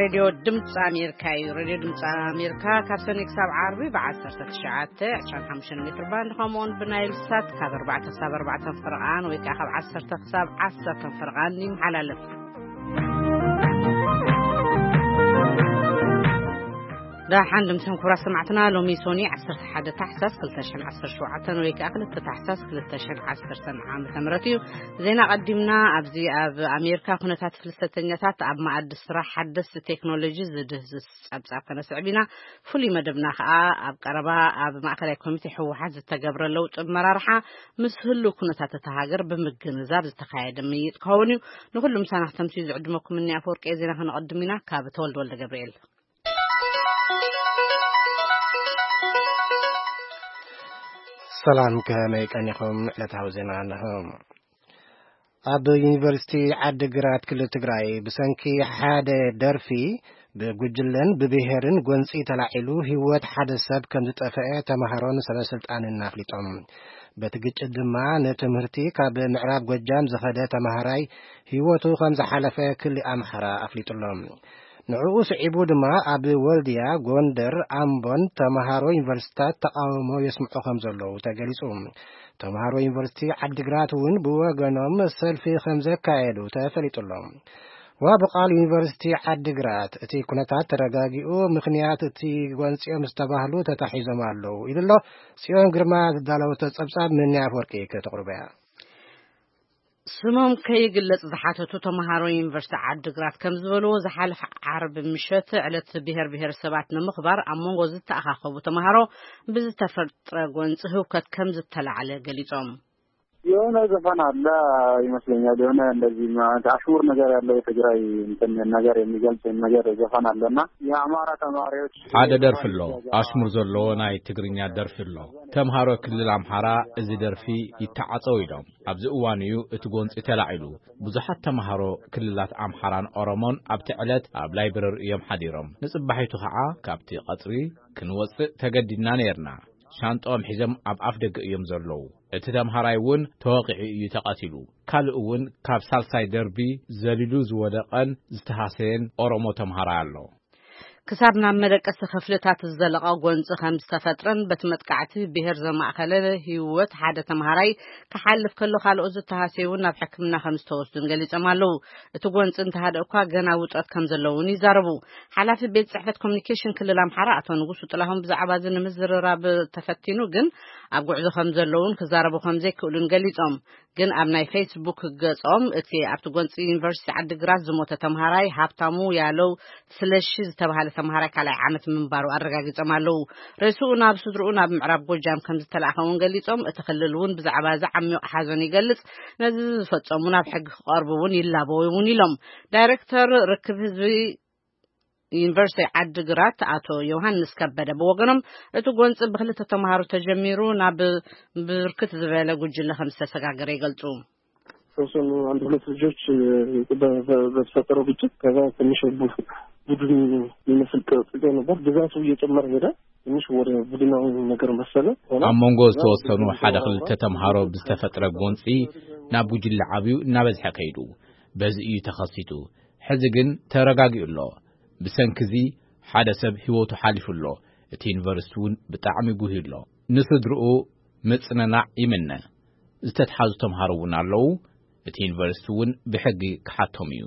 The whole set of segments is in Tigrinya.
ሬድዮ ድምፂ ኣሜሪካ እዩ። ሬድዮ ድምፂ ኣሜሪካ ካብ ሰኒ ክሳብ ዓርቢ ብ19፣ 25 ሜትር ባንድ፣ ከምኡውን ብናይል ሳት ካብ ኣርባዕተ ክሳብ ኣርባዕተ ፍርቓን ወይ ከዓ ካብ ዓሰርተ ክሳብ ዓሰርተ ፍርቓን ይመሓላለፍ። ደሓን ድምፅን ክቡራት ሰማዕትና፣ ሎሚ ሶኒ 11 ታሕሳስ 2017 ወይ ከዓ 2 ታሕሳስ 2010 ዓመተ ምህረት እዩ። ዜና ቀዲምና። ኣብዚ ኣብ ኣሜሪካ ኩነታት ፍልሰተኛታት ኣብ መኣዲ ስራሕ ሓደስቲ ቴክኖሎጂ ዝድህዝስ ጸብጻብ ከነስዕብ ኢና። ፍሉይ መደብና ከኣ ኣብ ቀረባ ኣብ ማእከላይ ኮሚቴ ህወሓት ዝተገብረ ለውጢ መራርሓ ምስ ህሉ ኩነታት እታ ሃገር ብምግንዛብ ዝተኻየደ ምይጥ ክኸውን እዩ። ንኹሉ ምሳና ክተምስዩ ዝዕድመኩም እኒ ኣፈወርቂ ዜና ከነቐድም ኢና። ካብ ተወልደ ወልደ ገብርኤል። ሰላም፣ ከመይ ቀኒኹም? ዕለታዊ ዜና ኣለኹ። ኣብ ዩኒቨርሲቲ ዓዲግራት ክልል ትግራይ ብሰንኪ ሓደ ደርፊ ብጉጅለን ብብሄርን ጎንፂ ተላዒሉ ህይወት ሓደ ሰብ ከም ዝጠፍአ ተምሃሮን ሰበስልጣንን ኣፍሊጦም። በቲ ግጭት ድማ ንትምህርቲ ካብ ምዕራብ ጎጃም ዝኸደ ተምሃራይ ህይወቱ ከም ዝሓለፈ ክሊ ኣምሓራ ኣፍሊጡሎም። ንዕኡ ስዒቡ ድማ ኣብ ወልድያ፣ ጎንደር፣ ኣምቦን ተምሃሮ ዩኒቨርሲቲታት ተቃውሞ የስምዑ ከም ዘለዉ ተገሊጹ። ተምሃሮ ዩኒቨርሲቲ ዓዲግራት እውን ብወገኖም ሰልፊ ከም ዘካየዱ ተፈሊጡሎም። ዋቢ ቃል ዩኒቨርሲቲ ዓዲግራት እቲ ኩነታት ተረጋጊኡ ምኽንያት እቲ ጎንፂኦም ዝተባህሉ ተታሒዞም ኣለዉ ኢሉ ኣሎ። ጽዮን ግርማ ዝዳለወቶ ጸብጻብ ምንያ ኣፈወርቂ ከተቕርበያ። ስሞም ከይግለጽ ዝሓተቱ ተምሃሮ ዩኒቨርሲቲ ዓዲግራት ከም ዝበልዎ፣ ዝሓለፈ ዓርቢ ምሸት ዕለት ብሔር ብሔረሰባት ንምኽባር ኣብ መንጎ ዝተኣኻኸቡ ተምሃሮ ብዝተፈጥረ ጎንፂ ህውከት ከም ዝተላዕለ ገሊጾም። የሆነ ዘፈን አለ ይመስለኛል። የሆነ እንደዚህ ማለት አሽሙር ነገር ያለው የትግራይ እንትን ነገር የሚገልጽ ነገር ዘፈን አለና የአማራ ተማሪዎች ሓደ ደርፊ ኣሎ፣ ኣሽሙር ዘለዎ ናይ ትግርኛ ደርፊ ኣሎ። ተምሃሮ ክልል ኣምሓራ እዚ ደርፊ ይተዓጸው ኢሎም። ኣብዚ እዋን እዩ እቲ ጎንጺ ተላዒሉ። ብዙሓት ተምሃሮ ክልላት ኣምሓራን ኦሮሞን ኣብቲ ዕለት ኣብ ላይብረሪ እዮም ሓዲሮም። ንጽባሒቱ ኸዓ ካብቲ ቀጽሪ ክንወጽእ ተገዲድና ነይርና። ሻንጣኦም ሒዞም ኣብ ኣፍ ደገ እዮም ዘለዉ። እቲ ተምሃራይ እውን ተወቒዑ እዩ ተቐቲሉ። ካልእ እውን ካብ ሳልሳይ ደርቢ ዘሊሉ ዝወደቐን ዝተሃሰየን ኦሮሞ ተምሃራይ ኣሎ። ክሳብ ናብ መደቀሲ ክፍልታት ዝዘለቐ ጎንፂ ከም ዝተፈጥረን በቲ መጥቃዕቲ ብሔር ዘማእኸለ ህይወት ሓደ ተምሃራይ ክሓልፍ ከሎ ካልኦት ዝተሃሰዩ እውን ናብ ሕክምና ከም ዝተወስዱን ገሊፆም ኣለዉ። እቲ ጎንፂ እንተሃደ እኳ ገና ውጥረት ከም ዘለውን ይዛረቡ። ሓላፊ ቤት ጽሕፈት ኮሚኒኬሽን ክልል ኣምሓራ ኣቶ ንጉሱ ጥላሁን ብዛዕባ እዚ ንምዝርራብ ተፈቲኑ ግን ኣብ ጉዕዞ ከም ዘለውን ክዛረቡ ከም ዘይክእሉን ገሊጾም። ግን ኣብ ናይ ፌስቡክ ገጾም እቲ ኣብቲ ጎንፂ ዩኒቨርሲቲ ዓዲግራት ዝሞተ ተምሃራይ ሃብታሙ ያለው ስለሺ ዝተባሃለ ተምሃራይ ካልኣይ ዓመት ምንባሩ ኣረጋጊጾም ኣለዉ። ሬስኡ ናብ ስድርኡ ናብ ምዕራብ ጎጃም ከም ዝተላእኸ እውን ገሊጾም፣ እቲ ክልል እውን ብዛዕባ እዚ ዓሚቕ ሓዘን ይገልጽ፣ ነዚ ዝፈጸሙ ናብ ሕጊ ክቐርቡ እውን ይላበው እውን ኢሎም። ዳይሬክተር ርክብ ህዝቢ ዩኒቨርሲቲ ዓዲግራት ኣቶ ዮሃንስ ከበደ ብወገኖም፣ እቲ ጎንፂ ብክልተ ተምሃሮ ተጀሚሩ ናብ ብርክት ዝበለ ጉጅለ ከም ዝተሰጋገረ ይገልጹ። ተወሰኑ አንድ ሁለት ልጆች በ- በ- በተፈጠረው ግጭት ከዛ ትንሽ ቡ- ቡድን የሚመስል ቅርጽ ይዘው ነበር። ብዛቱ እየጨመረ ሄደ። ትንሽ ወደ ቡድናዊ ነገር መሰለ ሆነ። ኣብ መንጎ ዝተወሰኑ ሓደ ክልተ ተምሃሮ ብዝተፈጥረ ጎንፂ ናብ ጉጅለ ዓብዩ እናበዝሐ ከይዱ፣ በዚ እዩ ተኸሲቱ። ሕዚ ግን ተረጋጊኡ ኣሎ። ብሰንኪ እዚ ሓደ ሰብ ህይወቱ ሓሊፉ ኣሎ። እቲ ዩኒቨርሲቲ እውን ብጣዕሚ ጉህዩ ኣሎ። ንስድርኡ ምጽንናዕ ይምነ። ዝተትሓዙ ተምሃሮ እውን ኣለዉ። እቲ ዩኒቨርሲቲ እውን ብሕጊ ክሓቶም እዩ።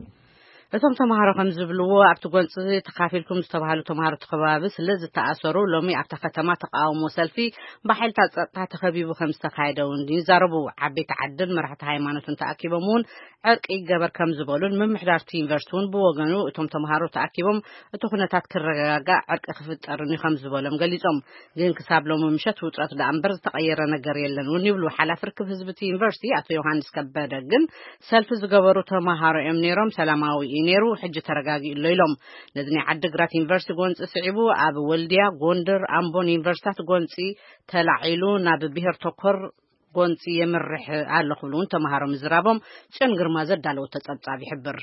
እቶም ተምሃሮ ከም ዝብልዎ፣ ኣብቲ ጎንፂ ተኻፊልኩም ዝተባሃሉ ተምሃሮ እቲ ከባቢ ስለ ዝተኣሰሩ፣ ሎሚ ኣብታ ከተማ ተቃውሞ ሰልፊ ብሓይልታት ጸጥታ ተኸቢቡ ከም ዝተኻየደ እውን ይዛረቡ። ዓበይቲ ዓድን መራሕቲ ሃይማኖትን ተኣኪቦም እውን ዕርቂ ይገበር ከም ዝበሉን፣ ምምሕዳር እቲ ዩኒቨርሲቲ እውን ብወገኑ እቶም ተምሃሮ ተኣኪቦም እቲ ኩነታት ክረጋጋእ ዕርቂ ክፍጠርን እዩ ከም ዝበሎም ገሊጾም። ግን ክሳብ ሎሚ ምሸት ውጥረት ደኣ እምበር ዝተቐየረ ነገር የለን እውን ይብሉ ሓላፊ ርክብ ህዝቢ እቲ ዩኒቨርሲቲ ኣቶ ዮሃንስ ከበደ። ግን ሰልፊ ዝገበሩ ተምሃሮ እዮም ነይሮም፣ ሰላማዊ እዩ ነይሩ፣ ሕጂ ተረጋጊኡ ኣሎ ኢሎም። ነዚ ናይ ዓዲግራት ዩኒቨርሲቲ ጎንፂ ስዒቡ ኣብ ወልድያ፣ ጎንደር፣ ኣምቦን ዩኒቨርሲታት ጎንፂ ተላዒሉ ናብ ብሄር ተኮር ጎንፂ የምርሕ ኣሎ ክብሉ እውን ተምሃሮ ምዝራቦም ጽዮን ግርማ ዘዳለወቶ ጸብጻብ ይሕብር።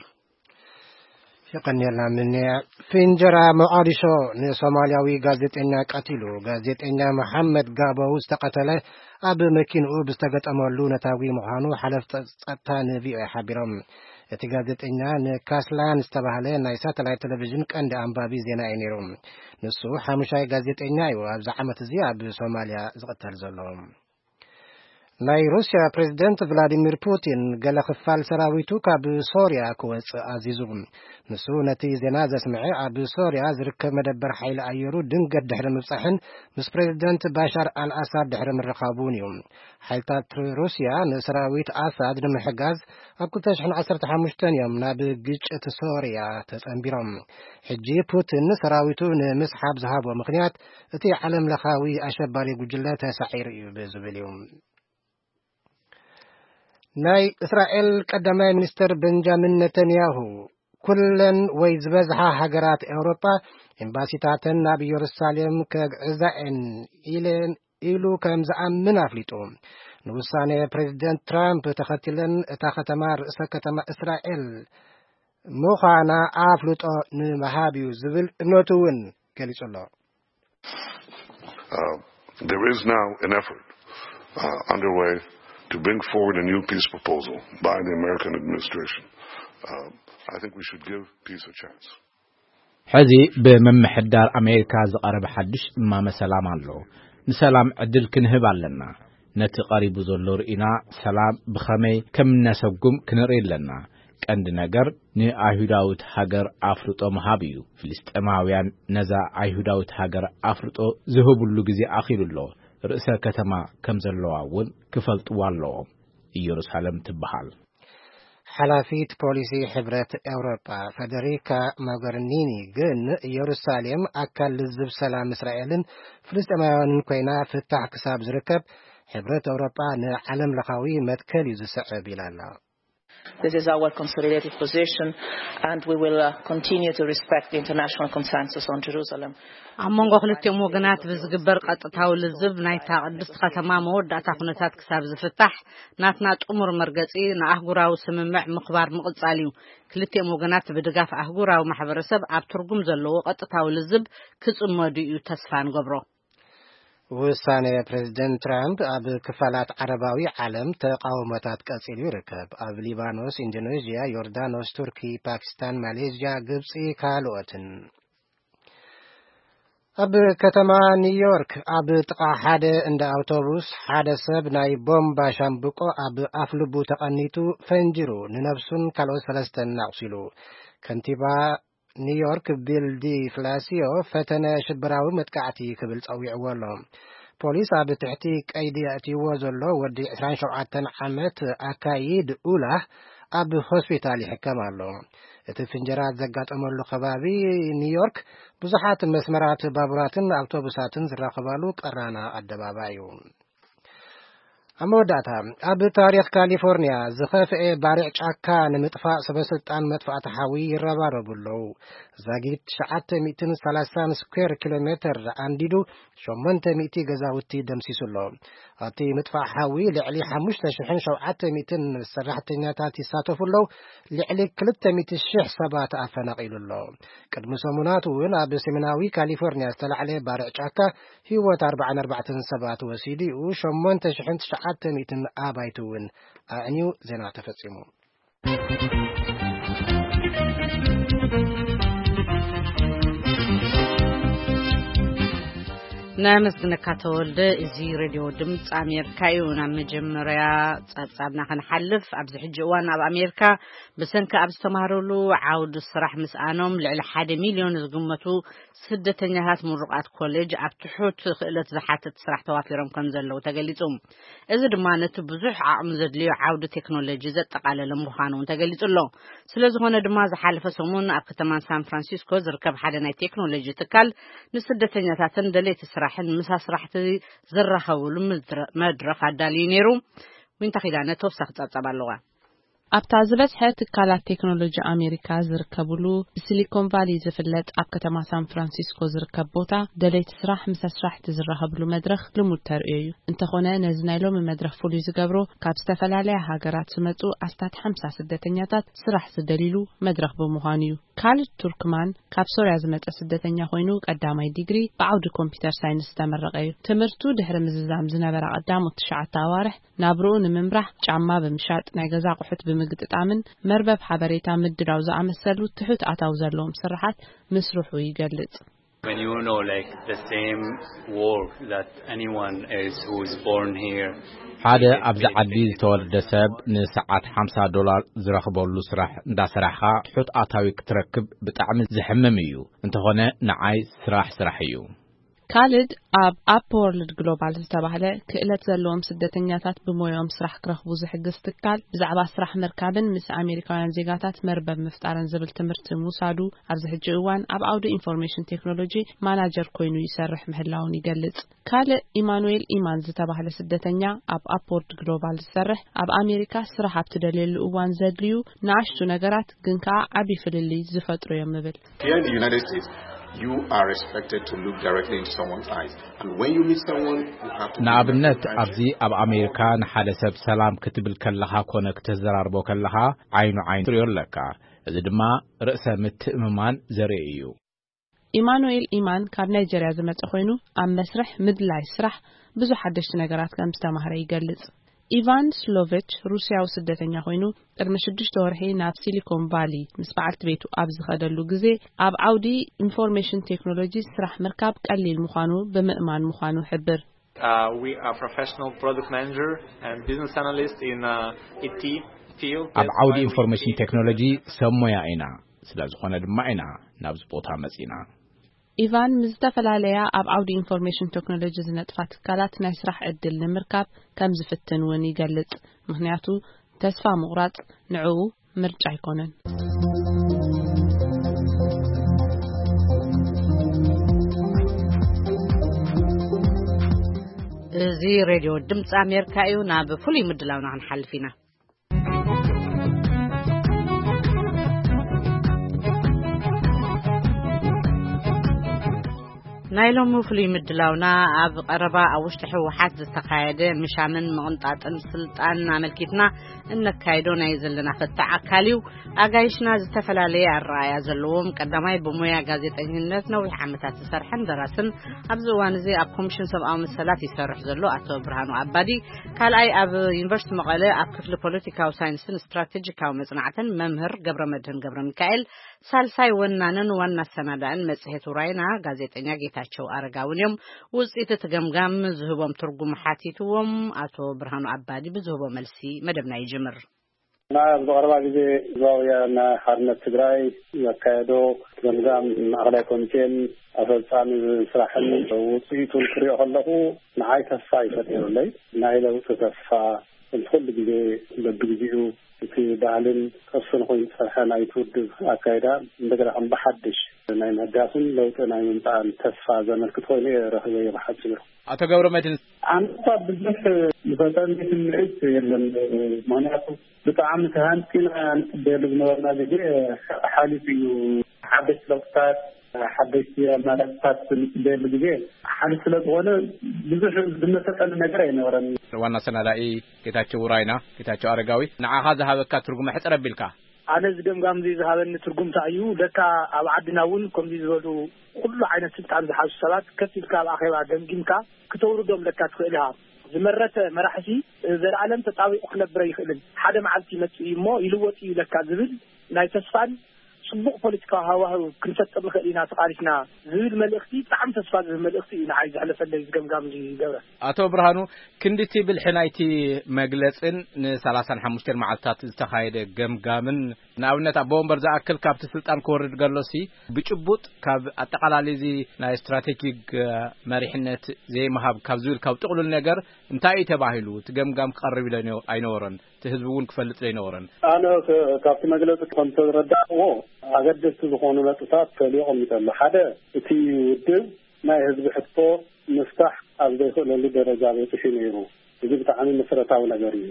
የቐንየልና ምንያ። ፊንጀራ ሞቓዲሾ ንሶማልያዊ ጋዜጠኛ ቀቲሉ። ጋዜጠኛ መሓመድ ጋቦው ዝተቐተለ ኣብ መኪንኡ ብዝተገጠመሉ ነታጒ ምዃኑ ሓለፍቲ ጸጥታ ንቪኦኤ ሓቢሮም። እቲ ጋዜጠኛ ንካስላን ዝተባህለ ናይ ሳተላይት ቴሌቪዥን ቀንዲ ኣንባቢ ዜና እዩ ነይሩ። ንሱ ሓሙሻይ ጋዜጠኛ እዩ ኣብዚ ዓመት እዚ ኣብ ሶማልያ ዝቕተል ዘሎ። ናይ ሩስያ ፕሬዝደንት ቭላዲሚር ፑቲን ገለ ክፋል ሰራዊቱ ካብ ሶርያ ክወጽእ ኣዚዙ። ንሱ ነቲ ዜና ዘስምዐ ኣብ ሶርያ ዝርከብ መደበር ሓይሊ ኣየሩ ድንገት ድሕሪ ምብጻሕን ምስ ፕሬዝደንት ባሻር ኣልኣሳድ ድሕሪ ምርኻቡን እዩ። ሓይልታት ሩስያ ንሰራዊት ኣሳድ ንምሕጋዝ ኣብ ክልተ ሽሕን ዓሰርተ ሓሙሽተን እዮም ናብ ግጭት ሶርያ ተጸንቢሮም። ሕጂ ፑቲን ሰራዊቱ ንምስሓብ ዝሃቦ ምኽንያት እቲ ዓለም ለኻዊ ኣሸባሪ ጉጅለ ተሳዒሩ እዩ ብዝብል እዩ። ናይ እስራኤል ቀዳማይ ሚኒስትር ቤንጃሚን ነተንያሁ፣ ኩለን ወይ ዝበዝሓ ሃገራት ኤውሮጳ ኤምባሲታተን ናብ ኢየሩሳሌም ከግዕዛ እየን ኢለን ኢሉ ከም ዝኣምን ኣፍሊጡ። ንውሳኔ ፕሬዚደንት ትራምፕ ተኸቲለን እታ ከተማ ርእሰ ከተማ እስራኤል ምዃና ኣፍልጦ ንምሃብ እዩ ዝብል እምነቱ እውን ገሊጹ ኣሎ። Uh, there is now an effort uh, underway to bring forward a new peace proposal by the American administration. Uh, I think we should give peace a chance. ሕዚ ብምምሕዳር ኣሜሪካ ዝቐረበ ሓድሽ እማመ ሰላም ኣሎ። ንሰላም ዕድል ክንህብ ኣለና። ነቲ ቀሪቡ ዘሎ ርኢና ሰላም ብኸመይ ከም እነሰጉም ክንርኢ ኣለና። ቀንዲ ነገር ንኣይሁዳዊት ሃገር ኣፍልጦ ምሃብ እዩ። ፍልስጤማውያን ነዛ ኣይሁዳዊት ሃገር ኣፍልጦ ዝህብሉ ግዜ ኣኺሉ ኣሎ። ርእሰ ከተማ ከም ዘለዋ እውን ክፈልጥዋ ኣለዎም። ኢየሩሳሌም ትበሃል። ሓላፊት ፖሊሲ ሕብረት ኤውሮጳ ፈደሪካ ሞገርኒኒ ግን ኢየሩሳሌም ኣካል ልዝብ ሰላም እስራኤልን ፍልስጤማውያንን ኮይና ፍታሕ ክሳብ ዝርከብ ሕብረት ኤውሮጳ ንዓለም ለኻዊ መትከል እዩ ዝስዕብ ኢላ ኣላ። This is our consolidated position and we will uh, continue to respect the international consensus on Jerusalem. ኣብ መንጎ ክልቲኦም ወገናት ብዝግበር ቀጥታዊ ልዝብ ናይታ ቅድስቲ ከተማ መወዳእታ ኩነታት ክሳብ ዝፍታሕ ናትና ጥሙር መርገጺ ንኣህጉራዊ ስምምዕ ምኽባር ምቕጻል እዩ። ክልቲኦም ወገናት ብድጋፍ ኣህጉራዊ ማሕበረሰብ ኣብ ትርጉም ዘለዎ ቀጥታዊ ልዝብ ክጽመዱ እዩ ተስፋ ንገብሮ። ውሳኔ ፕሬዚደንት ትራምፕ ኣብ ክፋላት ዓረባዊ ዓለም ተቃውሞታት ቀጺሉ ይርከብ። ኣብ ሊባኖስ፣ ኢንዶኔዥያ፣ ዮርዳኖስ፣ ቱርኪ፣ ፓኪስታን፣ ማሌዥያ፣ ግብጺ ካልኦትን። ኣብ ከተማ ኒውዮርክ ኣብ ጥቓ ሓደ እንዳ ኣውቶቡስ ሓደ ሰብ ናይ ቦምባ ሻምብቆ ኣብ ኣፍልቡ ተቐኒቱ ፈንጅሩ ንነብሱን ካልኦት ሰለስተን ኣቑሲሉ። ከንቲባ ኒውዮርክ ቢል ዲ ፍላሲዮ ፈተነ ሽበራዊ መጥቃዕቲ ክብል ጸዊዕዎ ኣሎ። ፖሊስ ኣብ ትሕቲ ቀይዲ ኣእትይዎ ዘሎ ወዲ ዕስራን ሸውዓተን ዓመት ኣካይድ ኡላህ ኣብ ሆስፒታል ይሕከም ኣሎ። እቲ ፍንጀራ ዘጋጠመሉ ከባቢ ኒውዮርክ ብዙሓት መስመራት ባቡራትን ኣውቶቡሳትን ዝራኸባሉ ቀራና ኣደባባይ እዩ። ኣብ መወዳእታ፣ ኣብ ታሪኽ ካሊፎርኒያ ዝኸፍኤ ባርዕ ጫካ ንምጥፋእ ሰበስልጣን መጥፋእቲ ሓዊ ይረባረቡ ኣለዉ። ዛጊት ትሽዓተ ሚእትን ሰላሳን ስኩዌር ኪሎ ሜተር ኣንዲዱ ሸሞንተ ሚእቲ ገዛውቲ ደምሲሱ ኣሎ። ኣብቲ ምጥፋእ ሓዊ ልዕሊ ሓሙሽተ ሽሕን ሸውዓተ ሚእትን ሰራሕተኛታት ይሳተፉ ኣለዉ። ልዕሊ ክልተ ሚእቲ ሽሕ ሰባት ኣፈናቒሉ ኣሎ። ቅድሚ ሰሙናት እውን ኣብ ሰሜናዊ ካሊፎርኒያ ዝተላዕለ ባርዕ ጫካ ህይወት ኣርባዓን ኣርባዕተን ሰባት ወሲዱ እዩ። ሸሞንተ ሽሕን ትሽዓተ ሚእትን ኣባይቲ እውን ኣዕንዩ። ዜና ተፈጺሙ። ናይ መስግነካ ተወልደ። እዚ ሬድዮ ድምፂ ኣሜሪካ እዩ። ናብ መጀመርያ ጸብጻብና ክንሓልፍ፣ ኣብዚ ሕጂ እዋን ኣብ ኣሜሪካ ብሰንኪ ኣብ ዝተማህረሉ ዓውዲ ስራሕ ምስኣኖም ልዕሊ ሓደ ሚልዮን ዝግመቱ ስደተኛታት ምሩቓት ኮሌጅ ኣብ ትሑት ክእለት ዝሓትት ስራሕ ተዋፊሮም ከም ዘለዉ ተገሊጹ። እዚ ድማ ነቲ ብዙሕ ዓቕሚ ዘድልዮ ዓውዲ ቴክኖሎጂ ዘጠቓለለ ምዃኑ እውን ተገሊጹ ኣሎ። ስለ ዝኾነ ድማ ዝሓለፈ ሰሙን ኣብ ከተማ ሳን ፍራንሲስኮ ዝርከብ ሓደ ናይ ቴክኖሎጂ ትካል ንስደተኛታትን ደለይቲ ስራሕን ምስ ኣስራሕቲ ዝራኸብሉ ምድረ- መድረኽ ኣዳልዩ ነይሩ። ዊንታ ኪዳነ ተወሳኺ ጸብጻብ ኣለዋ። ኣብታ ዝበዝሐ ትካላት ቴክኖሎጂ ኣሜሪካ ዝርከብሉ ብሲሊኮን ቫሊ ዝፍለጥ ኣብ ከተማ ሳን ፍራንሲስኮ ዝርከብ ቦታ ደለይቲ ስራሕ ምስ ኣስራሕቲ ዝራኸብሉ መድረኽ ልሙድ ተርእዮ እዩ። እንተኾነ ነዚ ናይ ሎሚ መድረኽ ፍሉይ ዝገብሮ ካብ ዝተፈላለያ ሃገራት ዝመጹ ኣስታት ሓምሳ ስደተኛታት ስራሕ ዝደልይሉ መድረኽ ብምዃኑ እዩ። ካልድ ቱርክማን ካብ ሶርያ ዝመጸ ስደተኛ ኮይኑ፣ ቀዳማይ ዲግሪ ብዓውዲ ኮምፒውተር ሳይንስ ዝተመረቐ እዩ። ትምህርቱ ድሕሪ ምዝዛም ዝነበራ ቀዳሞት ትሽዓተ ኣዋርሕ፣ ናብርኡ ንምምራሕ ጫማ ብምሻጥ፣ ናይ ገዛ ኣቑሑት ብምግጥጣምን መርበብ ሓበሬታ ምድላው ዝኣመሰሉ ትሑት ኣታዊ ዘለዎም ስራሓት ምስርሑ ይገልጽ። When you know, like, the same work that anyone else who's born here ሓደ is ኣብዚ getting ዓዲ paid ዝተወልደ ሰብ ንሰዓት ሓምሳ ዶላር ዝረኽበሉ ስራሕ እንዳሰራሕኻ ትሑት ኣታዊ ክትረክብ ብጣዕሚ ዘሕምም እዩ። እንተኾነ ንዓይ ስራሕ ስራሕ እዩ። ካልድ ኣብ ኣፕ ወርልድ ግሎባል ዝተባህለ ክእለት ዘለዎም ስደተኛታት ብሞያኦም ስራሕ ክረኽቡ ዝሕግዝ ትካል ብዛዕባ ስራሕ ምርካብን ምስ ኣሜሪካውያን ዜጋታት መርበብ ምፍጣርን ዝብል ትምህርቲ ምውሳዱ ኣብዚ ሕጂ እዋን ኣብ ዓውዲ ኢንፎርሜሽን ቴክኖሎጂ ማናጀር ኮይኑ ይሰርሕ ምህላውን ይገልጽ። ካልእ ኢማኑኤል ኢማን ዝተባህለ ስደተኛ ኣብ ኣፕወርድ ግሎባል ዝሰርሕ ኣብ ኣሜሪካ ስራሕ ኣብ ትደልየሉ እዋን ዘድልዩ ንኣሽቱ ነገራት ግን ከኣ ዓቢ ፍልልይ ዝፈጥሩ እዮም ይብል። Here in the United States, you are expected to look directly into someone's eyes. And when you meet someone, you have to be ንኣብነት very ኣብዚ ኣብ ኣሜሪካ ንሓደ ሰብ ሰላም ክትብል ከለኻ ኮነ ክትዘራርቦ ከለኻ ዓይኑ ዓይኑ ትሪኦ ኣለካ። እዚ ድማ ርእሰ ምትእምማን ዘርኢ እዩ። ኢማኑኤል ኢማን ካብ ናይጀርያ ዝመጸ ኮይኑ ኣብ መስርሕ ምድላይ ስራሕ ብዙሕ ሓደሽቲ ነገራት ከም ዝተማህረ ይገልጽ። ኢቫን ስሎቨች ሩስያዊ ስደተኛ ኮይኑ ቅድሚ ሽዱሽተ ወርሒ ናብ ሲሊኮን ቫሊ ምስ በዓልቲ ቤቱ ኣብ ዝኸደሉ ግዜ ኣብ ዓውዲ ኢንፎርሜሽን ቴክኖሎጂ ስራሕ ምርካብ ቀሊል ምዃኑ ብምእማን ምዃኑ ሕብር። Uh, we are professional product manager and business analyst in uh, I T field. ኣብ ዓውዲ ኢንፎርሜሽን ቴክኖሎጂ ሰብ ሞያ ኢና። ስለ ዝኾነ ድማ ኢና ናብዚ ቦታ መጺና። ኢቫን ምስ ዝተፈላለያ ኣብ ዓውዲ ኢንፎርሜሽን ቴክኖሎጂ ዝነጥፋ ትካላት ናይ ስራሕ ዕድል ንምርካብ ከም ዝፍትን እውን ይገልጽ። ምኽንያቱ ተስፋ ምቑራጽ ንዕኡ ምርጫ ኣይኮነን። እዚ ሬድዮ ድምፂ ኣሜሪካ እዩ። ናብ ፍሉይ ምድላውና ክንሓልፍ ኢና። ናይ ሎሚ ፍሉይ ምድላውና ኣብ ቀረባ ኣብ ውሽጢ ህወሓት ዝተኻየደ ምሻምን ምቕንጣጥን ስልጣን ኣመልኪትና እነካይዶ ናይ ዘለና ፍታሕ ኣካል እዩ። ኣጋይሽና ዝተፈላለየ ኣረኣእያ ዘለዎም፣ ቀዳማይ ብሞያ ጋዜጠኝነት ነዊሕ ዓመታት ዝሰርሐን ደራስን ኣብዚ እዋን እዚ ኣብ ኮሚሽን ሰብኣዊ መሰላት ይሰርሕ ዘሎ ኣቶ ብርሃኑ ኣባዲ፣ ካልኣይ ኣብ ዩኒቨርሲቲ መቐለ ኣብ ክፍሊ ፖለቲካዊ ሳይንስን ስትራቴጂካዊ መጽናዕትን መምህር ገብረ መድህን ገብረ ሚካኤል፣ ሳልሳይ ወናንን ዋና ኣሰናዳእን መጽሔት ውራይና ጋዜጠኛ ጌታቸው ኣረጋውን እዮም። ውጽኢት እቲ ገምጋም ዝህቦም ትርጉም ሓቲትዎም ኣቶ ብርሃኑ ኣባዲ ብዝህቦ መልሲ መደብና ይጅምር። ኣብ ዝቐረባ ግዜ ህዝባዊ ወያነ ሓርነት ትግራይ ዘካየዶ ገምጋም ማእኸላይ ኮሚቴን ኣፈጻሚ ስራሕን ውፅኢቱን ክሪኦ ከለኹ ንዓይ ተስፋ ይፈጥረለይ። ናይ ለውጢ ተስፋ፣ ከምቲ ኩሉ ግዜ በብግዜኡ እቲ ባህልን ቅርስን ኮይኑ ዝፀንሐ ናይቲ ውድብ ኣካይዳ እንደገና ከም ብሓድሽ ናይ ምህዳስን ለውጢ ናይ ምምፃእን ተስፋ ዘመልክት ኮይኑ እየ ረኺበዮ ብሓፂሩ። ኣቶ ገብረ መድህን። ኣነኳ ብዙሕ ዝፈጠረኒ ስምዒት የለን። ምኽንያቱ ብጣዕሚ ተሃንጢና ንፅበየሉ ዝነበርና ግዜ ሓሊፉ እዩ። ሓደሽቲ ለውጥታት፣ ሓደሽቲ ኣማራፅታት ንፅበየሉ ግዜ ሓሊፉ ስለ ዝኾነ ብዙሕ ዝመሰጠኒ ነገር ኣይነበረን። ዋና ኣሰናዳኢ ጌታቸው ውራይና፣ ጌታቸው ኣረጋዊ፣ ንዓኻ ዝሃበካ ትርጉም ሕፅር ኣቢልካ። ኣነ እዚ ገምጋም እዚ ዝሃበኒ ትርጉም እንታይ እዩ? ለካ ኣብ ዓድና እውን ከምዚ ዝበሉ ኩሉ ዓይነት ስልጣን ዝሓዙ ሰባት ከፍ ኢልካ ኣብ ኣኼባ ገምጊምካ ክተውርዶም ለካ ትኽእል ኢኻ። ዝመረተ መራሕሲ ዘለኣለም ተጣቢቑ ክነብር ኣይኽእልን። ሓደ መዓልቲ ይመጽእ እዩ እሞ ይልወጥ እዩ ለካ ዝብል ናይ ተስፋን ጽቡቕ ፖለቲካዊ ሃዋህው ክንፈጥር ንኽእል ኢና ተቓሊስና ዝብል መልእኽቲ፣ ብጣዕሚ ተስፋ ዝህብ መልእኽቲ እዩ ንዓይ ዘሕለፈለይ እዚ ገምጋም እዚ ገብረ። ኣቶ ብርሃኑ፣ ክንድቲ ብልሒ ናይቲ መግለጽን ንሰላሳን ሓሙሽተን መዓልታት ዝተኻየደ ገምጋምን፣ ንኣብነት ኣቦ ወንበር ዝኣክል ካብቲ ስልጣን ክወርድ ከሎሲ ብጭቡጥ ካብ ኣጠቓላሊ እዚ ናይ ስትራቴጂክ፣ እ፣ መሪሕነት ዘይምሃብ ካብ ዝብል ካብ ጥቕሉል ነገር እንታይ እዩ ተባሂሉ? እቲ ገምጋም ክቐርብ ኢለ ኣይነበረን። እቲ ህዝቢ እውን ክፈልጥ ዘይነበረን። ኣነ ከ-፣ ካብቲ መግለጺ ከም ዝተረዳእዎ ኣገደስቲ ዝኾኑ ነጥብታት ተልዩ ኣቐሚጡ ኣሎ። ሓደ፣ እቲ ውድብ ናይ ህዝቢ ሕቶ ምፍታሕ ኣብ ዘይኽእለሉ ደረጃ በጺሑ ነይሩ። እዚ ብጣዕሚ መሰረታዊ ነገር እዩ።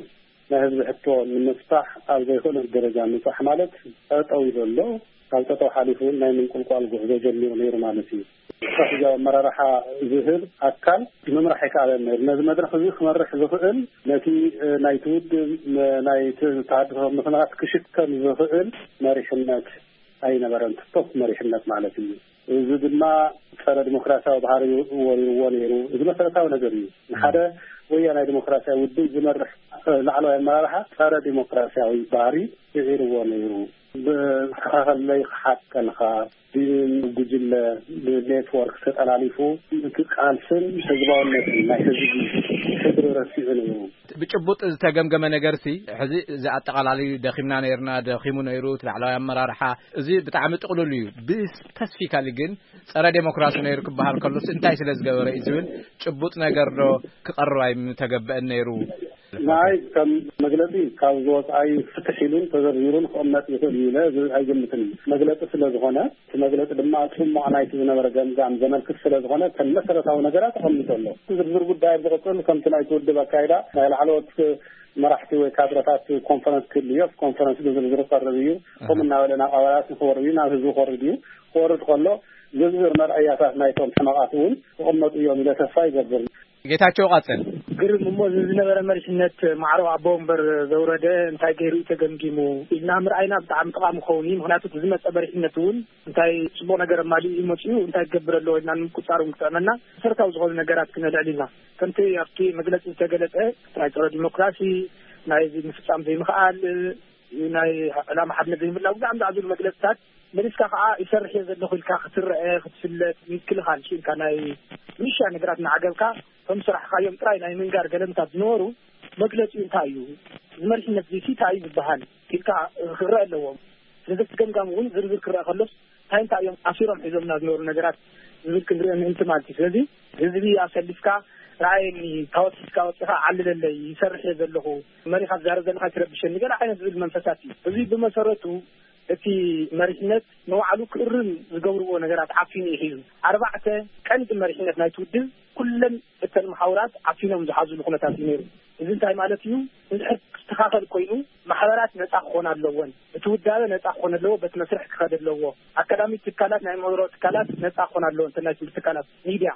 ናይ ህዝቢ ሕቶ ንምፍታሕ ኣብ ዘይኽእለሉ ደረጃ ምብጻሕ ማለት ጠጠው ኢሉ ኣሎ። ካብ ጠጠው ሓሊፉ እውን ናይ ምንቁልቋል ጉዕዞ ጀሚሩ ነይሩ ማለት እዩ። ስትራቴጂያዊ ኣመራርሓ ዝህብ ኣካል ምምራሕ ኣይከኣለን ነይሩ። ነዚ መድረኽ እዚ ክመርሕ ዝኽእል፣ ነቲ፣ እ፣ ናይቲ ውድብ፣ ም-፣ ናይቲ ተሃድሶ ምኽንያት ክሽከም ዝኽእል መሪሕነት ኣይነበረን፣ ስፖርት መሪሕነት ማለት እዩ። እዚ ድማ ጸረ ዲሞክራሲያዊ ባህሪ ወሪርዎ ነይሩ። እዚ መሰረታዊ ነገር እዩ። ንሓደ ወያናይ ዲሞክራሲያዊ ውድብ ዝመርሕ ላዕለዋይ ኣመራርሓ ጸረ ዲሞክራሲያዊ ባህሪ ስዒርዎ ነይሩ። ብዝተኻኸለይ ክሓቀልካ ብጉጅለ ብኔትወርክ ተጠላሊፉ እቲ ቃልስን ህዝባውነትን ናይ ህዝቢ ሕድሪ ረሲዑ ነይሩ። ብጭቡጥ ዝተገምገመ ነገር ሲ ሕዚ እዚ ኣጠቓላሊ ደኺምና ነይርና፣ ደኺሙ ነይሩ እቲ ላዕለዋይ ኣመራርሓ። እዚ ብጣዕሚ ጥቕሉል እዩ። ብስፐሲፊካሊ ግን ጸረ ዴሞክራሲ ነይሩ ክበሃል ከሎስ እንታይ ስለ ዝገበረ እዩ ዝብል ጭቡጥ ነገር ዶ ክቐርብ ኣይምተገበአን ነይሩ? ናይ ከም መግለጺ ካብ ዝወጽኣይ ፍትሕ ኢሉን ተዘርዚሩን ክቕመጥ ይኽእል እዩ ኢለ ዝ- ኣይገምትን። መግለጺ ስለ ዝኾነ እቲ መግለጺ ድማ ጽሙቕ ናይቲ ዝነበረ ገምጋም ዘመልክት ስለ ዝኾነ ከም መሰረታዊ ነገራት ተቐሚጡ ኣሎ። ዝርዝር ጉዳይ ኣብ ዝቕጽል ከምቲ ናይቲ ውድብ ኣካይዳ ናይ ላዕለዎት መራሕቲ ወይ ካድረታት ኮንፈረንስ ክህሉ እዩ። ኣብቲ ኮንፈረንስ ብዝርዝር ክቐርብ እዩ። ከምኡ እናበለ ናብ ኣባላት ክወርድ እዩ፣ ናብ ህዝቢ ክወርድ እዩ። ክወርድ ከሎ ዝርዝር መርኣያታት ናይቶም ሕመቓት እውን ክቕመጡ እዮም ኢለ ተስፋ ይገብር። ጌታቸው ቀጽል። ግርም እሞ፣ እዚ ዝነበረ መሪሕነት ማዕሮ ኣቦ ወንበር ዘውረደ እንታይ ገይሩ እዩ ተገምጊሙ ኢልና ምርኣይና ብጣዕሚ ጠቓሚ ክኸውን እዩ። ምኽንያቱ እቲ ዝመጸ መሪሕነት እውን እንታይ ጽቡቕ ነገር ኣማሊኡ እዩ መጺኡ፣ እንታይ ክገብር ኣለዎ ኢልና ንምቁጻር እውን ክጥዕመና መሰረታዊ ዝኾኑ ነገራት ክነልዕል ኢና። ከምቲ ኣብቲ መግለጺ ዝተገለጸ ናይ ጸረ ዲሞክራሲ፣ ናይ ምፍጻም ዘይምኽኣል፣ ናይ ዕላማ ሓድነት ዘይምህላው፣ ብዛዕባ ዝብሉ መግለጽታት መሊስካ ከዓ ይሰርሕ እየ ዘለኹ ኢልካ ክትረአ፣ ክትፍለጥ፣ ምክልኻል ኢልካ ናይ ምሻ ነገራት እናዓገብካ ከም ስራሕካዮም ጥራይ ናይ ምንጋር ገለምታት ዝነበሩ መግለጺኡ እንታይ እዩ? እዚ መሪሕነት እዚ እንታይ እዩ ዝበሃል ኢልካ ክረአ ኣለዎም። ስለዚ እቲ ገምጋም እውን ዝርዝር ክረአ ከሎስ እንታይ እንታይ እዮም ኣሲሮም ሒዞምና ዝነበሩ ነገራት ዝብል ክንርኢ ምእንቲ ማለት እዩ። ስለዚ ህዝቢ ኣሰሊፍካ ረኣየኒ፣ ታወት ሒዝካ ወፂኻ ዓልለለይ፣ ይሰርሕ እየ ዘለኹ፣ መሪኻ ትዛረብ ዘለኻ ትረብሸኒ፣ ገለ ዓይነት ዝብል መንፈሳት እዩ። እዚ ብመሰረቱ እቲ መሪሕነት ንባዕሉ ክእርም ዝገብርዎ ነገራት ዓፊኑ እዩ ሒዙ። ኣርባዕተ ቀንዲ መሪሕነት ናይቲ ውድብ ኩለን እተን መሓውራት ዓፊኖም ዝሓዙሉ ኩነታት እዩ ነይሩ። እዚ እንታይ ማለት እዩ? እንድሕር ክስተኻኸል ኮይኑ ማሕበራት ነፃ ክኾና ኣለወን። እቲ ውዳበ ነፃ ክኾን ኣለዎ፣ በቲ መስርሕ ክኸድ ኣለዎ። ኣካዳሚክ ትካላት፣ ናይ ምህሮ ትካላት ነፃ ክኾን ኣለዎ፣ እንተ ናይ ትምህርቲ ትካላት፣ ሚድያ።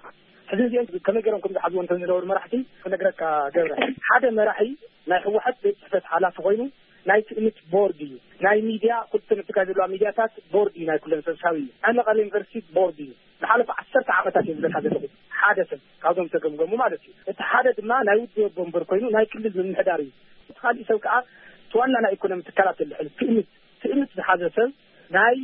ሕዚ እዚኦም ከመይ ገይሮም ከም ዝሓዝዎ እንተ ዝነበሩ መራሕቲ ክነግረካ ገብረ። ሓደ መራሒ ናይ ህወሓት ቤት ጽሕፈት ሓላፊ ኮይኑ ናይ ትእምት ቦርድ እዩ። ናይ ሚድያ፣ ኩልተን ኣብ ትግራይ ዘለዋ ሚድያታት ቦርድ እዩ፣ ናይ ኩለን ሰብሳቢ እዩ። ናይ መቐለ ዩኒቨርሲቲ ቦርድ እዩ። ዝሓለፈ ዓሰርተ ዓመታት እየ ዝብለካ ዘለኹ። ሓደ ሰብ ካብዞም ተገምገሙ ማለት እዩ። እቲ ሓደ ድማ ናይ ውድብ ኣቦ ወንበር ኮይኑ ናይ ክልል ምምሕዳር እዩ። እቲ ካሊእ ሰብ ከዓ እቲ ዋና ናይ ኢኮኖሚ ትካላት ዘልዕል ትእምት፣ ትእምት ዝሓዘ ሰብ ናይ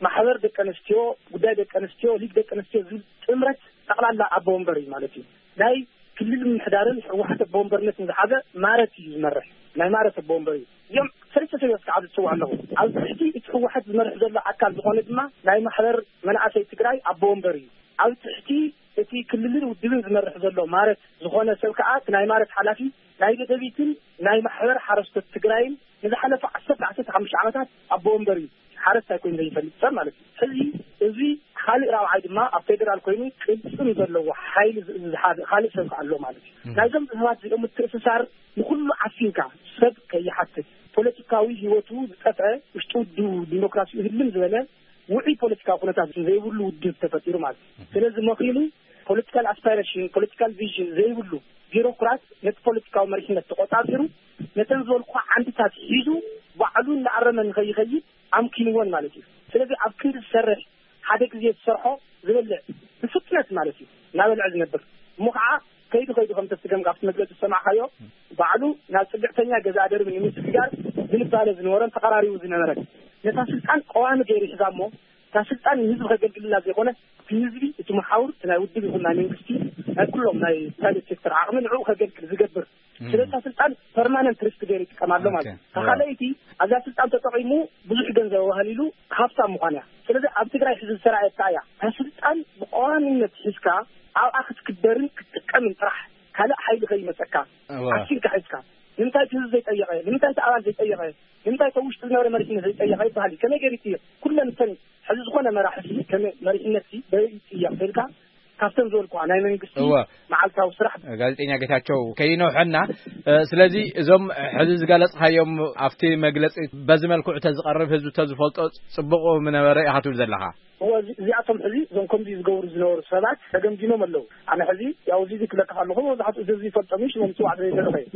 ማሕበር ደቂ ኣንስትዮ፣ ጉዳይ ደቂ ኣንስትዮ፣ ሊግ ደቂ ኣንስትዮ ዝብል ጥምረት ጠቕላላ ኣቦ ወንበር እዩ ማለት እዩ። ናይ ክልል ምምሕዳርን ህወሓት ኣቦ ወንበርነትን ዝሓዘ ማረት እዩ ዝመርሕ። ናይ ማረት ኣቦ ወንበር እዩ። እዚኦም ሰለስተ ሰብዮት ከዓ ዝፅውዕ ኣለኹ። ኣብ ትሕቲ እቲ ህወሓት ዝመርሕ ዘሎ ኣካል ዝኾነ ድማ ናይ ማሕበር መናእሰይ ትግራይ ኣቦ ወንበር እዩ። ኣብ ትሕቲ እቲ ክልልን ውድብን ዝመርሕ ዘሎ ማረት ዝኾነ ሰብ ከዓ እቲ ናይ ማረት ሓላፊ ናይ ደደቢትን ናይ ማሕበር ሓረስቶት ትግራይን ንዝሓለፈ ዓሰርተ ዓሰርተ ሓሙሽተ ዓመታት ኣቦ ወንበር እዩ። ሓረስታይ ኮይኑ ዘይፈልጥ ሰብ ማለት እዩ። ሕዚ እዚ ካልእ ራብዓይ ድማ ኣብ ፌደራል ኮይኑ ቅልፅም ዘለዎ ሓይሊ ዝ- ዝሓዘ ካልእ ሰብ ከዓ ኣሎ ማለት እዩ። ናይዞም ሰባት እዚኦም ምትእስሳር ንኩሉ ዓፊንካ ሰብ ከይሓትት ፖለቲካዊ ህይወቱ ዝጠፍአ ውሽጢ ውድቡ ዲሞክራሲ ህልም ዝበለ ውዑይ ፖለቲካዊ ኩነታት ዘይብሉ ውድብ ተፈጢሩ ማለት እዩ። ስለዚ መኺኑ ፖለቲካል ኣስፓይሬሽን፣ ፖለቲካል ቪዥን ዘይብሉ ቢሮክራት ነቲ ፖለቲካዊ መሪሕነት ተቆጻጺሩ ነተን ዝበልኩ ዓንድታት ሒዙ ባዕሉ እናኣረመ ንኸይኸይድ ኣምኪንዎን ማለት እዩ። ስለዚ ኣብ ክንዲ ዝሰርሕ ሓደ ግዜ ዝሰርሖ ዝበልዕ ብፍጥነት ማለት እዩ እናበልዐ ዝነብር እሞ ከዓ ከይዱ ከይዱ ከም ተስገም ካብቲ መግለፂ ዝሰማዕካዮ ባዕሉ ናብ ፅግዕተኛ ገዛ ደርቢ ንምስግጋር ዝንባለ ዝነበረን ተቐራሪቡ ዝነበረን ነታ ስልጣን ቀዋሚ ገይሩ ሒዛ እሞ እታ ስልጣን ንህዝቢ ከገልግልላ ዘይኮነ እቲ ህዝቢ እቲ መሓውር እቲ ናይ ውድብ ይኹን ናይ መንግስቲ ናይ ኩሎም ናይ ፕራይቬት ሴክተር ዓቕሚ ንዕኡ ከገልግል ዝገብር ስለታ ስልጣን ፐርማነንት ሪስክ ገይሩ ይጥቀም ኣሎ ማለት እዩ። ተኻለይቲ ኣብዛ ስልጣን ተጠቂሙ ብዙሕ ገንዘብ ባህሊሉ ሃብታም ምዃን እያ። ስለዚ ኣብ ትግራይ ሕዚ ዝተረኣየታ እያ። እታ ስልጣን ብቀዋሚነት ሒዝካ ኣብኣ ክትክበርን ክትጥቀምን ጥራሕ ካልእ ሓይሊ ከይመፀካ ዓሲልካ ሒዝካ ንምንታይ እቲ ህዝቢ ዘይጠየቐ? ንምንታይ እቲ ኣባል ዘይጠየቐ? ንምንታይ እቲ ውሽጢ ዝነበረ መሪሕነት ዘይጠየቐ ይበሃል እዩ። ከመይ ገይሩ ይጥየቕ? ኩለን እተን ሕዚ ዝኾነ መራሒ ከም መሪሕነት በይ ይጥየቕ ተልካ ካብተን ዝበልኩዋ ናይ መንግስቲ እወ። መዓልታዊ ስራሕ ጋዜጠኛ ጌታቸው ከይነውሐና። ስለዚ እዞም ሕዚ ዝገለጽካዮም ኣብቲ መግለጺ በዚ መልክዑ ተዝቐርብ ህዝቢ ተዝፈልጦ ጽቡቕ ምነበረ ኢኻ ትብል ዘለኻ። እወ፣ እዚ- እዚኣቶም ሕዚ እዞም ከምዚ ዝገብሩ ዝነበሩ ሰባት ተገምጊሞም ኣለዉ። ኣነ ሕዚ ያው እዚ ክብለካ ከለኹ መብዛሕትኡ እዚ ዝፈልጦም እዩ፣ ሽሞም ምፅዋዕ ዘይደለኹ እየ።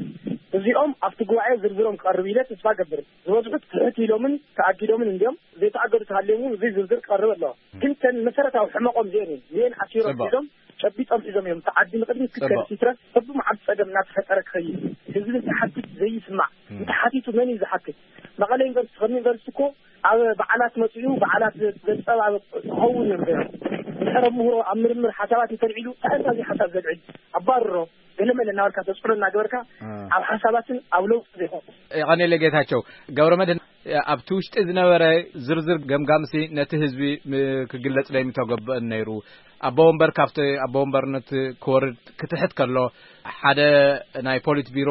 እዚኦም ኣብቲ ጉባኤ ዝርዝሮም ክቐርብ ኢለ ተስፋ ገብር። ዝበዝሑት ትሕት ኢሎምን ተኣጊዶምን እንዲዮም። ዘይተኣገዱ ተሃልዮም እውን እዚ ዝርዝር ክቐርብ ኣለዎ። ግን ተን መሰረታዊ ሕመቆም እዚአን እየን። እዚአን ኣሲሮም ሒዞም፣ ጨቢጦም ሒዞም እዮም። እቲ ዓዲ ንቕድሚት ክትከድ ሲትረፍ፣ በብመዓልቲ ጸገም እናተፈጠረ ክኸይድ፣ ህዝቢ እንትሓትት ዘይስማዕ፣ እንተሓቲቱ መን እዩ ዝሓትት? መቐለ ዩኒቨርሲቲ ከም ዩኒቨርሲቲ እኮ ኣብ በዓላት መጺኡ በዓላት ዘንጸባርቕ ክኸውን ነይሩ። ድሕሪ ምህሮ ኣብ ምርምር ሓሳባት እንተልዒሉ፣ እንታይ እዚ ሓሳብ ዘልዕል? ኣባርሮ፣ ገለመለ እናበልካ ተጽዕኖ እናገበርካ ኣብ ሓሳባትን ኣብ ለውጢ ዘይኮነ። የቐኔለ ጌታቸው። ገብረ መድህን፣ ኣብቲ ውሽጢ ዝነበረ ዝርዝር ገምጋምሲ ነቲ ህዝቢ ም-፣ ክግለጽ ለይምተገብአን ነይሩ። ኣቦ ወንበር ካብቲ ኣቦ ወንበርነት ክወርድ ክትሕት ከሎ፣ ሓደ ናይ ፖሊት ቢሮ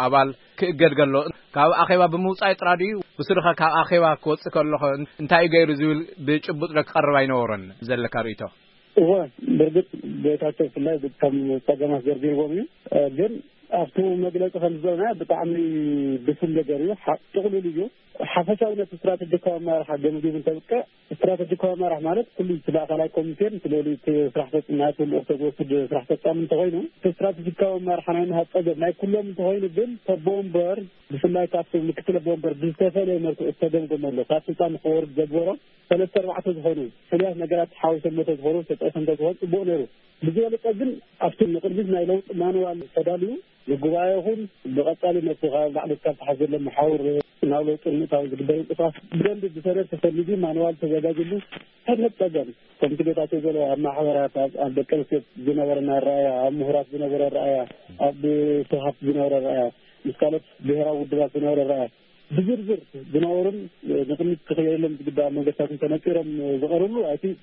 ኣባል ክእገድ ከሎ፣ ካብ ኣኼባ ብምውጻእ ጥራ ድዩ? ብስሩኸ ካብ ኣኼባ ክወጽእ ከሎ እንታይ እዩ ገይሩ ዝብል ብጭቡጥ ዶ ክቐርብ ኣይነበሮን? ዘለካ ርእይቶ? እወ፣ ብርግጽ ጌታቸው ብፍላይ ከም ጸገማት ዘርዚርዎም እዩ። ግን ኣብቲ መግለጺ ከም ዝበልና ብጣዕሚ ብሱል ነገር እዩ። ሓ-፣ ጥቕሉል እዩ። ሓፈሻዊ ነቲ ስትራተጂካዊ ኣመራርሓ ገምጊሙ እንተብቅዕ፣ ስትራተጂካዊ ኣመራርሓ ማለት ኩሉ እቲ ማእከላይ ኮሚቴን እቲ ልዕሊ እቲ ስራሕ ፈጻሚ፣ ናይቲ ልኡኽ ተዝወስድ ስራሕ ፈጻሚ እንተኾይኑ፣ እቲ ስትራተጂካዊ ኣመራርሓ ናይ ምሃብ ጸገም ናይ ኩሎም እንተኾይኑ ግን፣ ኣቦ ወንበር ብፍላይ ካብቲ ምክትል ኣቦ ወንበር ብዝተፈለየ መልክዑ ዝተገምገመሉ፣ ካብ ስልጣን ንኽወርድ ዘግበሮ ሰለስተ ኣርባዕተ ዝኾኑ ፍሉያት ነገራት ሓዊሶም መቶ ዝኾኑ ተጠቒሶም እንተዝኾኑ ጽቡቕ ነይሩ። ብዝበለጸ ግን ኣብቲ ንቕድሚት ናይ ለውጢ ማንዋል ተዳልዩ ንጉባኤ ይኹን ብቐጻሊ ነቲ ካብ ላዕሊ እስካብ ታሕቲ ዘሎ መሓውር ናብ ለውጢ ንምእታው ዝግበር ምንቅስቓስ ብደንቢ ብሰነድ ተሰኒዱ ማንዋል ተዘጋጅሉ ሰነድ ጸገም ከምቲ ጌታቸው ዝበሎ ኣብ ማሕበራት፣ ኣብ፣ ኣብ ደቂ ኣንስትዮ ዝነበረ ኣረኣእያ፣ ኣብ ምሁራት ዝነበረ ኣረኣእያ፣ ኣብ ስርሓት ዝነበረ ኣረኣእያ፣ ምስ ካልኦት ብሄራዊ ውድባት ዝነበረ ኣረኣእያ ብዝርዝር ዝነበሩን ንቕድሚት ክኽየሎም ዝግባእ መንገድታትን ተነጺሮም ዝቐርብሉ፣ ኣይ ቲንክ፣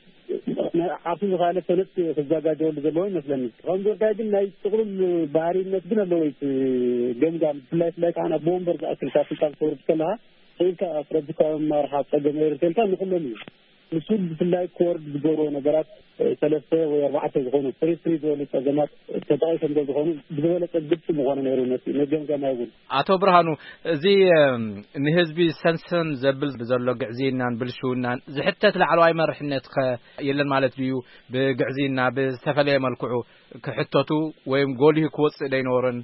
ናይ ዓርሱ ዝኸኣለ ሰነድ ክዘጋጀወሉ ዘለዎ ይመስለኒ። ከም ጉዳይ ግን ናይ ጥቕሉል ባህሪነት ግን ኣለዎ። እቲ ገምጋም ብፍላይ፣ ብፍላይ ከዓ ናብ ወንበር ዝኣክል ካብ ስልጣን ክተውርድ ከለኻ፣ ክኢልካ ኣስረድካ መማርሓ ጸገም የርተልካ ንኹሎም እዩ። ንሱ ብፍላይ ክወርድ ዝገብሮ ነገራት፣ እ፣ ሰለስተ ወይ ኣርባዕተ ዝኾኑ ፍሪ ፍሪ ዝበሉ ጸገማት ተጠቒሶም እንተዝኾኑ ብዝበለጸ ግልጺ ምኾነ ነይሩ ነቲ መገምገማይ እውን። ኣቶ ብርሃኑ፣ እዚ፣ እም፣ ንህዝቢ ሰንሰን ዘብል ብዘሎ ግዕዝይናን ብልሽውናን ዝሕተት ላዕለዋይ መርሕነት ከ የለን ማለት ድዩ? ብግዕዝይና ብዝተፈለየ መልክዑ ክሕተቱ ወይም ጎሊሁ ክወጽእ ደይነበሮን